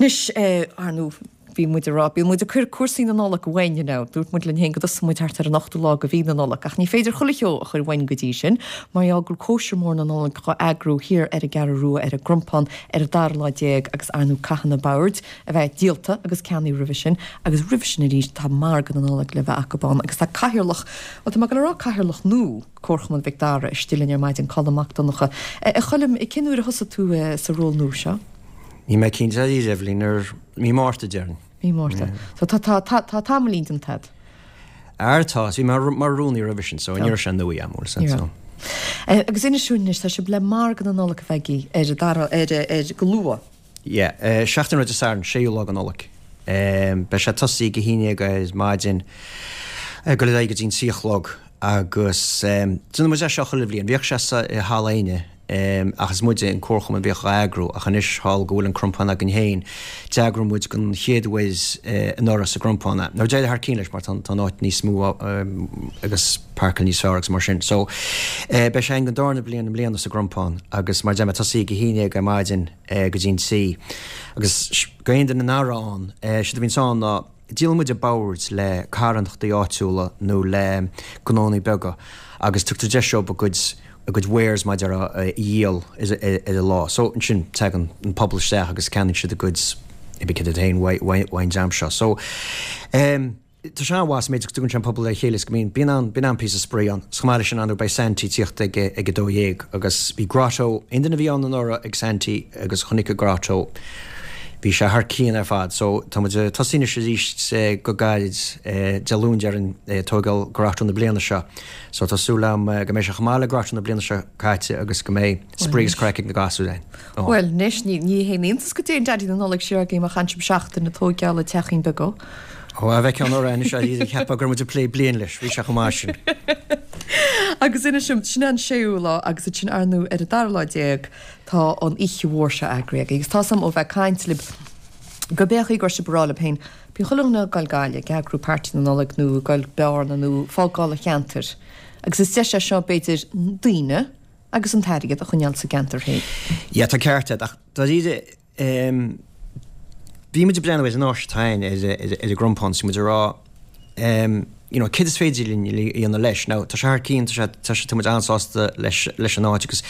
Anois, ar ndóigh, bhí muid ag rá, bíonn muid ag cur cúrsaí na Nollag uainn, you know. Dúirt muid linn féin go dtosódh muid thart ar an ochtú lá de mhí na Nollag, ach ní féidir chuile cheo a chur uainn go dtí sin, mar gheall go bhfuil cóisir mhór na Nollag dhá eagrú thiar ar an gCeathrú Rua ar an gCrompán ar an dara lá agus ar ndóigh caithfidh na boird a bheith díolta agus ceannaithe roimhe sin agus roimhe sin arís tá margadh na Nollag le bheith acu ann agus tá cathaoirleach, bhuel tá mé ag dul a rá cathaoirleach nua, Comharchumann Mhic Dara istigh linn ar maidin, Colm Mac Donncha. A Choilm, cén uair a thosaigh tú sa ról nua seo? Níl mé cinnte dáiríre, Eibhlín, ar mí Márta, déarfainn. Mí Márta. So tá, tá, tá, tá tamaillín déanta agat. Ar, tá, bhí mé mar rúnaí roimhe sin, so ní raibh sé nua agam, bhfuil so. Agus inis dúinn anois, tá sibh le margadh na Nollag a bheith agaibh ar an dara, ar, ar, go luath. Yeah, seachtain roimh Dé Sathairn, séú lá de Nollaig. Beidh sé tosaithe ag a haon dhéag ar maidin, ag dul ar aghaidh go dtí an trí a chlog agus déanann muid é seo chuile bhliain. Bhíodh sé sa i Halla Éinne ach is muide an comharchumann a bhíodh á eagrú ach anois thall go bhfuil an Crompán againn féin, d'eagraigh muid don chéad uair anuraidh sa gCrompán é. Now d'éirigh thar cionn leis mar tá an áit níos mó agus páirceáil níos fearr agus mar sin. So beidh sé againn don darna bliain i mbliana sa gCrompán agus mar a deir mé tosaí ag a haon dhéag ar maidin go dtí an trí. Agus go aon duine nach raibh ann, séard a bhíonns ann ná díolann muid boird le carthanachtaí áitiúla nó le gnónnaí beaga agus tugtar deis dóibh a gcuid a gcuid wares mar a déarfá a dhíol ar an lá. So ansin tagann an pobal isteach agus ceannaíonn siad a gcuid cibé céard iad féin uaidh an dream seo. So tá sé an-mhaith sa méid is go dtugann sé an pobal le chéile is go mbíonn bíonn an bíonn an-phíosa spraoi ann. Is chomh maith leis sin ar ndóigh beidh Santy ag tíocht ag ag 12 agus bhí Grotto, aon duine a bhí ann anuraidh ag Santy agus chonaic an Grotto, bhí sé thar cionn ar fad. So tá muid ag tosaí anois arís go gairid, Dé Luain déarfainn, ag tógáil Grotto na bliana seo. So tá súil agam go mbeidh sé chomh maith le Grotto na bliana seo caite agus go mbeidh spraoi agus craic ag na gasúir ann. Bhuel, anois, ní haon iontas go dtéann Daidí na Nollag siar agaibh má chaitheann sibh seachtain ag tóigeáil an teachín beag dó. Ó, a bheith ceann orthu anois, a cheapfá go raibh muid ag plé bliain leis, bhí sé chomh maith sin. Agus inis dom, sin an séú lá agus ansin ar ndóigh ar an dara lá tá an oíche mhór seo eagraithe agaibh agus tá 's a'm ó bheith ag caint libh go b'é an chaoi go raibh sibh ag rá libh féin, bíonn chuile dhuine ag goil Gaillimh, ag eagrú party na Nollag nó ag goil Bearna nó fágáil an cheantair agus is deis é seo b'fhéidir daoine agus an t-airgead a choinneáil sa gceantar féin. Yeah, tá ceart agat, ach dáiríre, bhí muid ag breathnú ar an áis atá againn ar ar an gCrompán, is bhí muid ag rá, you know, céard is féidir linn a dhéanamh leis? Now, tá sé thar cionn, tá sé, tá sé, tá muid an-sásta leis, leis an áit agus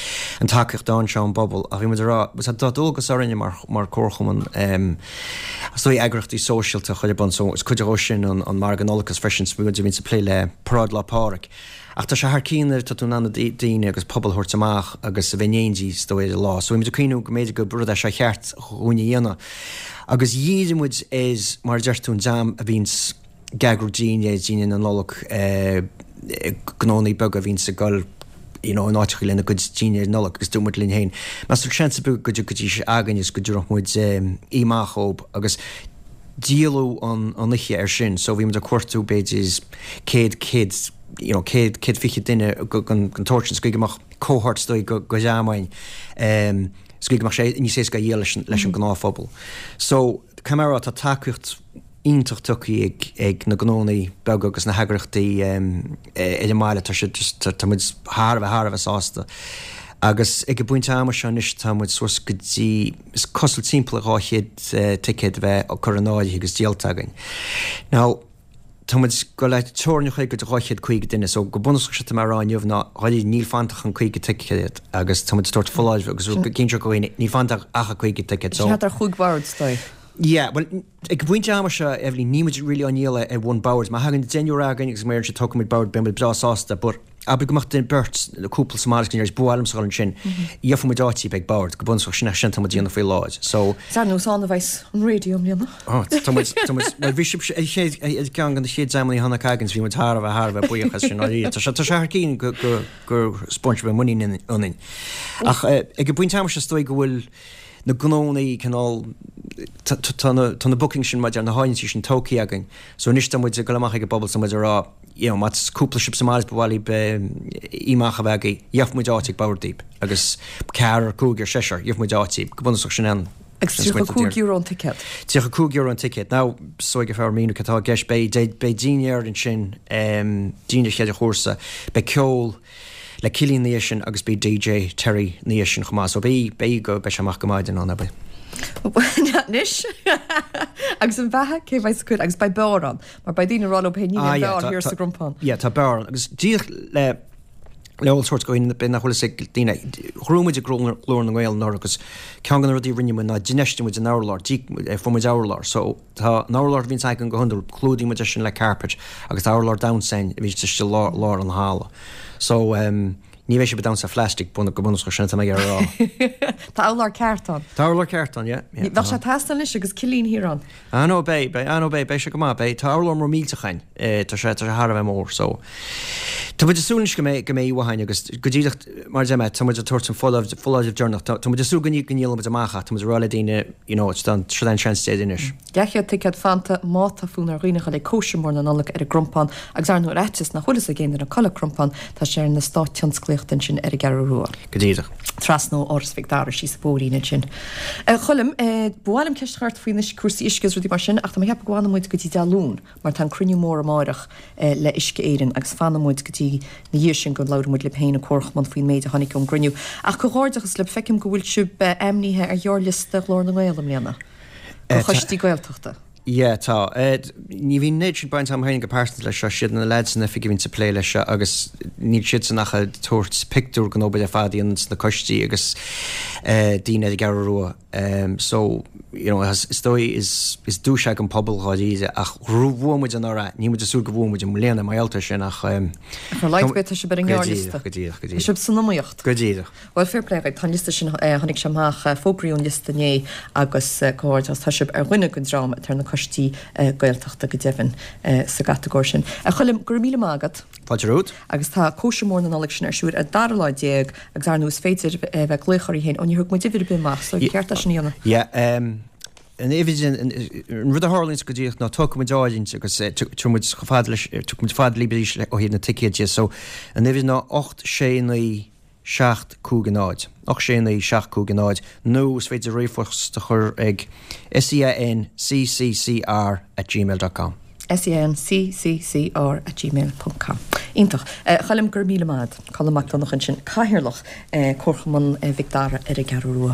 an tacaíocht atá anseo ón bpobal, ach bhí muid ag rá, tá dualgas orainne mar, mar comharchumann, is dóigh eagraíochtaí sóisialta a chur ar bun, so is cuid dhó sin an, an Margadh Nollag agus freisin, bhí muid, bhí muid ag plé le Paráid Lá Pádraig. Ach tá sé thar cionn nuair atá tú in ann daoine agus pobal a thabhairt amach agus a bheith in éindí is dóigh ar an lá. So bhí muid ag cuimhniú go mb'fhéidir gur rud é seo a cheart dhúinn a dhéanamh. Agus dhírigh muid ar, mar a deir tú, an dream a bhíonns ag eagrú dinnéir, dinnéir na Nollag, gnónnaí beaga a bhíonns ag dul you know in áiteacha lena gcuid dinnéir Nollag agus dúirt muid linn féin, meas tú seans ar bith go dtiocfaidís againn is go dtabharfadh muid oíche amach dhób agus díoladh an oíche air sin so bhí muid ag cuartú b'fhéidir 100, 100, you know 100, 120 duine den tsórt sin is go mbeadh cohort is dóigh go dream againn is go mbeadh sé níos éasca a dhíol leis an leis an gnáthphobal. So caithfidh mé a rá tá tacaíocht iontach tugtha ag ag na gnónnaí beaga agus na heagraíochtaí ar an mbaile tá siad just tá muid thar a bheith thar a bheith sásta. Agus ag an bpointe ama seo anois tá muid suas go dtí is cosúil timpeall 200 ticéad a bheith curtha in áirithe agus díolta againn. Now, tá muid ag goil le teorainn a chur go dtí 250 duine, so go bunúsach séard atá mé a rá inniu ná dháiríre níl fanta ach an 50 ticéad agus tá muid ag tabhairt foláireamh agus ag inse do dhaoine níl fanta ach an 50 ticéad so. Sin thart ar chúig bhord is dóigh. Yeah, bhuel, ag an bpointe ama seo, Eibhlín, níl muid really á ndíol ar bhonn boird. Má thagann deichniúr againn agus má deireann siad tógfaidh muid bord, beidh muid breá sásta, but abair go mbeadh duine, beirt, nó cúpla sa mbaile agus ba mhaith liomsa dhul ansin, gheobhaidh muid áit daoibh ag bord, go bunúsach, sin sin atá muid a dhéanamh faoi láthair. So. Is ar nós ann a bheas an raidió i mbliana. Oh, tá muid, tá muid, bhuel bhí sibh ar chéad, ar ceann de na chéad dreamanna a tháinig againn, so bhí muid thar a bheith, thar a bheith buíoch as sin, dáiríre. Tá sé, tá sé thar cionn go, go, gur 'spáin sibh muinín ionainn. Ach ag an bpointe ama seo is dóigh go bhfuil, na gnónnaí cineál, tá na, tá na bookings sin maidir na háirithintí sin tógtha againn. So anois tá muid ag dul amach ag an bpobal is tá muid ag rá, you know, má tá cúpla sibh sa mbaile is ba mhaith libh oíche amach a bheith agaibh, gheobhaidh muid áit ag bord daoibh. Agus ceathrar, cúigear, seisear, gheobhaidh muid áit daoibh. Go bunúsach sin an Agus €35 an ticéad. €35 an ticéad. Now, is dóigh gur fearr míniú cad atá i gceist. Beidh, beidh dinnéar ansin, dinnéar cheithre chúrsa, beidh ceol, le Cillian ina dhiaidh sin agus beidh DJ Terry ina dhiaidh sin chomh maith so beidh, beidh go, beidh sé amach go maidin ann, abair. Anois agus an bheatha cé bheidh sa cuid agus beidh beár ann mar beidh daoine ag rá leo féin níl aon bheár thiar sa gCrompán. Yeah tá beár ann agus díreach le le eolas a thabhairt do dhaoine b'fhéidir nach bhfuil fhios ag daoine ghnóthaigh muid Glór na nGael anuraidh agus ceann de na rudaí a rinne muid ná d'infheistigh muid in urlár fuair muid urlár so tá an urlár a bhíonns againn go hiondúil clúdaíonn muid é sin le carpet agus tá urlár damhsa againn a bhíonns istigh i lár lár an halla so um, Ní bheidh sibh ag damhsa ar phlastic, go bunúsach, sin atá mé ag iarraidh a rá. Tá urlár ceart ann. Tá urlár ceart ann, yeah. yeah Bheadh sé ag teastáil anois agus cillín thiar ann. Ah no, beidh, beidh, ah no, beidh, beidh sé go maith, beidh, tá urlár mór millteach againn, eh, tá sé, tá sé thar a bheith mór, so. Tá muid ag súil anois go mbeidh, go mbeidh uainn agus go díreach, mar a deir mé, tá muid ag tabhairt an foláireamh, foláireamh deireanach, tá, tá muid ag súil go ndíolfaidh muid amach ach tá muid ag rá le daoine, you know, it's done, seo an seans deiridh anois. 200 ticéad fanta má tá fonn ar dhaoine dhul ag cóisir mór na Nollag ar an gCrompán agus ar ndóigh ar fhaitíos nach bhfuil fhios ag aon duine cá bhfuil an Crompán, tá sé ar an eastát tionsclaíochta ansin ar an gCeathrú Rua. Go díreach. Trasna ó Áras Mhic Dara síos an bóithrín ansin. A Choilm, ba mhaith liom ceist a chur ort faoi anois cúrsaí uisce agus rudaí mar sin ach tá mé ag ceapadh go bhfanfaidh muid go dtí Dé Luain mar tá an cruinniú mór amáireach le Uisce Éireann agus fanfaidh muid go dtí na dhiaidh sin go labhróidh muid libh féin an Comharchumann faoin méid a tháinig ón gcruinniú. Ach comhghairdeachas libh, feicim go bhfuil sibh ainmnithe ar ghearrliosta Ghlór na nGael i mbliana. Do choistí Gaeltachta. Yeah, tá. Ní bhíonn an oiread sin baint agam féin go pearsanta leis seo, siad na leaids san oifig a bhíonns ag plé leis seo agus níl siadsan ach ag tabhairt pictiúr den obair ar fad a dhéananns na coistí agus daoine ar an gCeathrú Rua. So, you know, is dóigh is is duais é don pobal dháiríre ach bhuaigh muid anuraidh, níl muid ag súil go bhuafaidh muid i mbliana mar gheall air sin ach. Ach ar a laghad ar bith tá sibh ar an ngearrliosta. Go díreach, go díreach, go díreach. Tá sibh san iomaíocht. Go díreach. Bhuel, fair play dhaoibh, tá an liosta sin, tháinig sé amach, fógraíodh an liosta inné agus comhghairdeachas, tá sibh ar dhuine den dream atá ar na coistí Gaeltachta go deimhin sa gcatagóir sin. A Choilm, go raibh míle maith agat. Fáilte romhat. Agus tá cóisir mhór na Nollag sin ar siúl ar an dara lá déag agus ar ndóigh is féidir a bheith ag glaoch orthu féin, ó níor thug muid uimhir ar bith amach so ceart é sin a dhéanamh. Yeah, an uimhir, an rud a tharlaíonns go díreach ná tógfaidh muid áirithint agus tabharfaidh muid chomh fada leis, tiocfaidh muid fada libh arís ó thaobh na ticéad de, so an uimhir ná 8 6 9 7 5 0, 8 6 9 7 5 0, nó is féidir ríomhphost a chur ag seanccr at gmail dot com. seanccr at gmail ponc com. Iontach. A Choilm, go raibh míle maith agat. Colm Mac Donncha ansin, Cathaoirleach Comharchumann Mhic Dara ar an gCeathrú Rua.